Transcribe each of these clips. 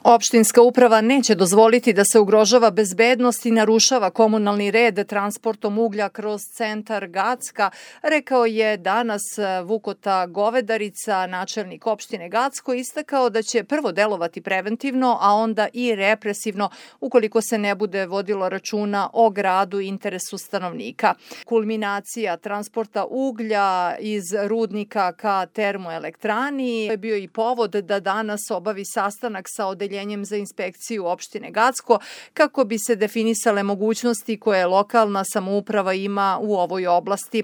Opštinska uprava neće dozvoliti da se ugrožava bezbednost i narušava komunalni red transportom uglja kroz centar Gacka, rekao je danas Vukota Govedarica, načelnik opštine Gacko, istakao da će prvo delovati preventivno, a onda i represivno ukoliko se ne bude vodilo računa o gradu i interesu stanovnika. Kulminacija transporta uglja iz rudnika ka termoelektrani je bio i povod da danas obavi sastanak sa odeljenjem za inspekciju opštine Gacko kako bi se definisale mogućnosti koje lokalna samouprava ima u ovoj oblasti.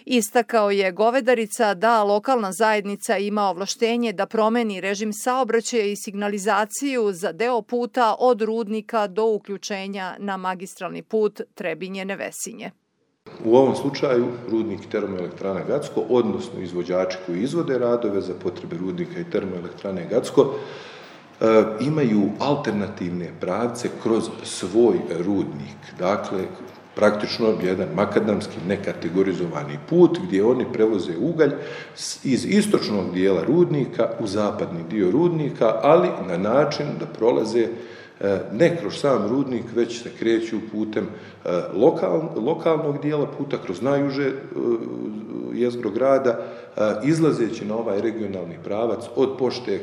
Istakao je Govedarica da lokalna zajednica ima ovlaštenje da promeni režim saobraćaja i signalizaciju za deo puta od rudnika do uključenja na magistralni put Trebinje-Nevesinje. U ovom slučaju rudnik i termoelektrana Gacko, odnosno izvođači koji izvode radove za potrebe rudnika i termoelektrane Gacko, imaju alternativne pravce kroz svoj rudnik. Dakle, praktično jedan makadamski nekategorizovani put gdje oni prevoze ugalj iz istočnog dijela rudnika u zapadni dio rudnika, ali na način da prolaze ne kroz sam rudnik, već se kreću putem lokalnog dijela puta, kroz najuže jezgro grada, izlazeći na ovaj regionalni pravac od pošte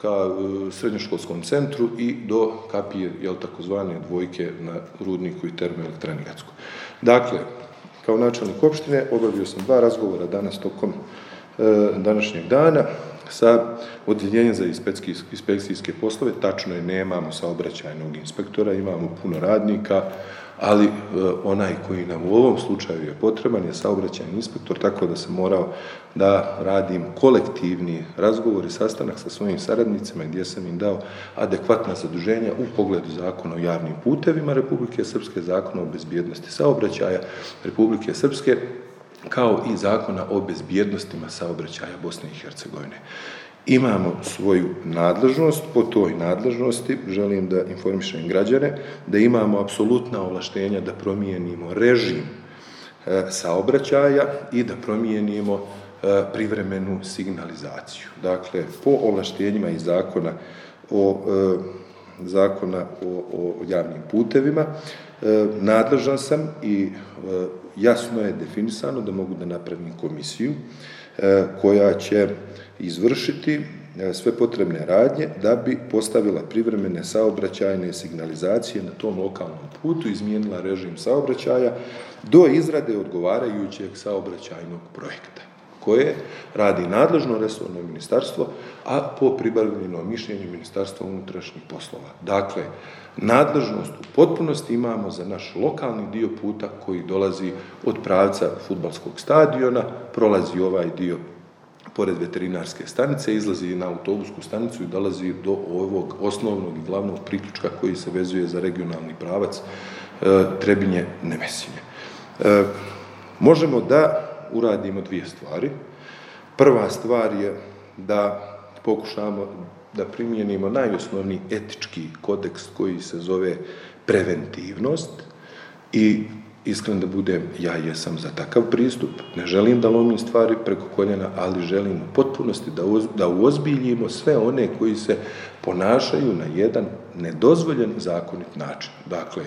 ka srednjoškolskom centru i do kapije, takozvane dvojke na rudniku i termoelektrani Gacko. Dakle, kao načelnik opštine obavio sam 2 razgovora danas tokom današnjeg dana sa odjeljenjem za inspekcijske poslove. Tačno je, nemamo saobraćajnog inspektora, imamo puno radnika, ali onaj koji nam u ovom slučaju je potreban je saobraćajni inspektor, tako da sam morao da radim kolektivni razgovor i sastanak sa svojim saradnicima gdje sam im dao adekvatna zaduženja u pogledu Zakona o javnim putevima Republike Srpske, Zakona o bezbjednosti saobraćaja Republike Srpske, kao i Zakona o bezbjednostima saobraćaja Bosne i Hercegovine. Imamo svoju nadležnost, po toj nadležnosti želim da informišem građane da imamo apsolutna ovlaštenja da promijenimo režim saobraćaja i da promijenimo privremenu signalizaciju. Dakle, po ovlaštenjima iz Zakona o javnim putevima nadležan sam i jasno je definisano da mogu da napravim komisiju koja će izvršiti sve potrebne radnje da bi postavila privremene saobraćajne signalizacije na tom lokalnom putu, izmijenila režim saobraćaja do izrade odgovarajućeg saobraćajnog projekta koje radi nadležno resorno ministarstvo, a po pribavljenom mišljenju Ministarstva unutrašnjih poslova. Dakle, nadležnost u potpunosti imamo za naš lokalni dio puta koji dolazi od pravca fudbalskog stadiona, prolazi ovaj dio pored veterinarske stanice, izlazi na autobusku stanicu i dolazi do ovog osnovnog i glavnog priključka koji se vezuje za regionalni pravac Trebinje-Nevesinje. Možemo da uradimo 2 stvari. Prva stvar je da pokušamo da primijenimo najosnovniji etički kodeks koji se zove preventivnost i iskren da budem, ja jesam za takav pristup, ne želim da lomim stvari preko koljena, ali želim u potpunosti da uozbiljimo sve one koji se ponašaju na jedan nedozvoljen zakonit način. Dakle,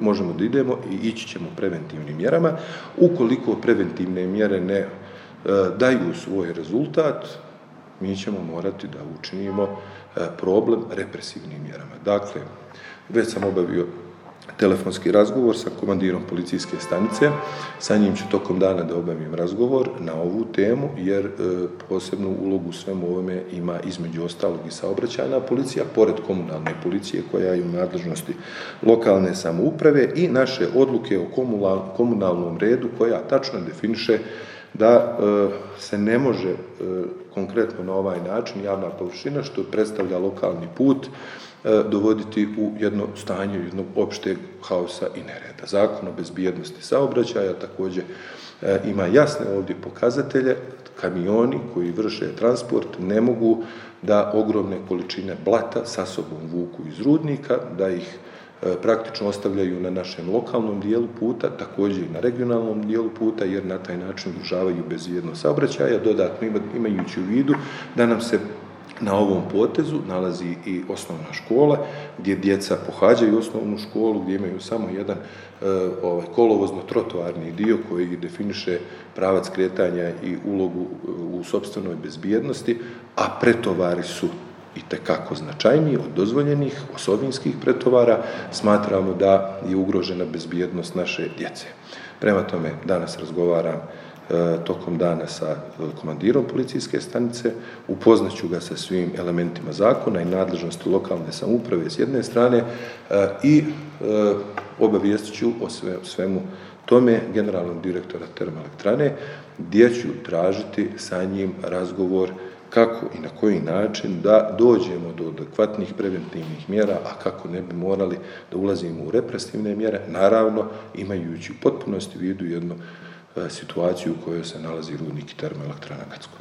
možemo da idemo i ići ćemo preventivnim mjerama. Ukoliko preventivne mjere ne daju svoj rezultat, mi ćemo morati da učinimo problem represivnim mjerama. Dakle, već sam obavio telefonski razgovor sa komandirom policijske stanice, sa njim ću tokom dana da obavim razgovor na ovu temu, jer posebnu ulogu u svemu ovome ima između ostalog i saobraćajna policija, pored komunalne policije koja je u nadležnosti lokalne samouprave i naše odluke o komunalnom redu koja tačno definiše da se ne može konkretno na ovaj način javna površina što predstavlja lokalni put dovoditi u jedno stanje jednog opšteg haosa i nereda. Zakon o bezbjednosti saobraćaja također ima jasne ovdje pokazatelje. Kamioni koji vrše transport ne mogu da ogromne količine blata sa sobom vuku iz rudnika, da ih praktično ostavljaju na našem lokalnom dijelu puta, također i na regionalnom dijelu puta, jer na taj način ugrožavaju bezbjednost saobraćaja, dodatno imajući u vidu da nam se na ovom potezu nalazi i osnovna škola, gdje djeca pohađaju osnovnu školu, gdje imaju samo jedan kolovozno-trotoarni dio koji definiše pravac kretanja i ulogu u sopstvenoj bezbjednosti, a pretovari su itekako značajniji od dozvoljenih osovinskih pretovara. Smatramo da je ugrožena bezbjednost naše djece. Prema tome, danas razgovaram tokom dana sa komandirom policijske stanice, upoznaću ga sa svim elementima zakona i nadležnosti lokalne samouprave s jedne strane i obavijestit ću o svemu tome generalnog direktora termoelektrane, gdje ću tražiti sa njim razgovor kako i na koji način da dođemo do adekvatnih preventivnih mjera, a kako ne bi morali da ulazimo u represivne mjere, naravno imajući u potpunosti u vidu jednu situaciju u kojoj se nalazi rudnik i termoelektrana Gacko.